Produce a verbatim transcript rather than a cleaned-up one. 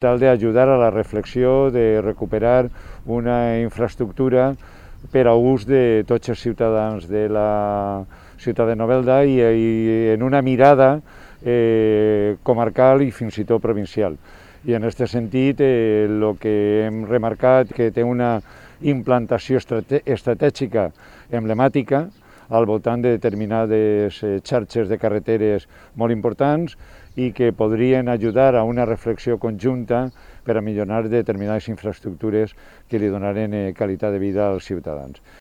tal d'ajudar a la reflexió de recuperar una infraestructura per a ús de tots els ciutadans de la ciutat de Novelda i, i en una mirada eh, comarcal i fins i tot provincial. I en aquest sentit, el eh, que hem remarcat que té una implantació estrate estratègica emblemàtica al voltant de determinades eh, xarxes de carreteres molt importants i que podrien ajudar a una reflexió conjunta per a millorar determinades infraestructures que li donaren eh, qualitat de vida als ciutadans.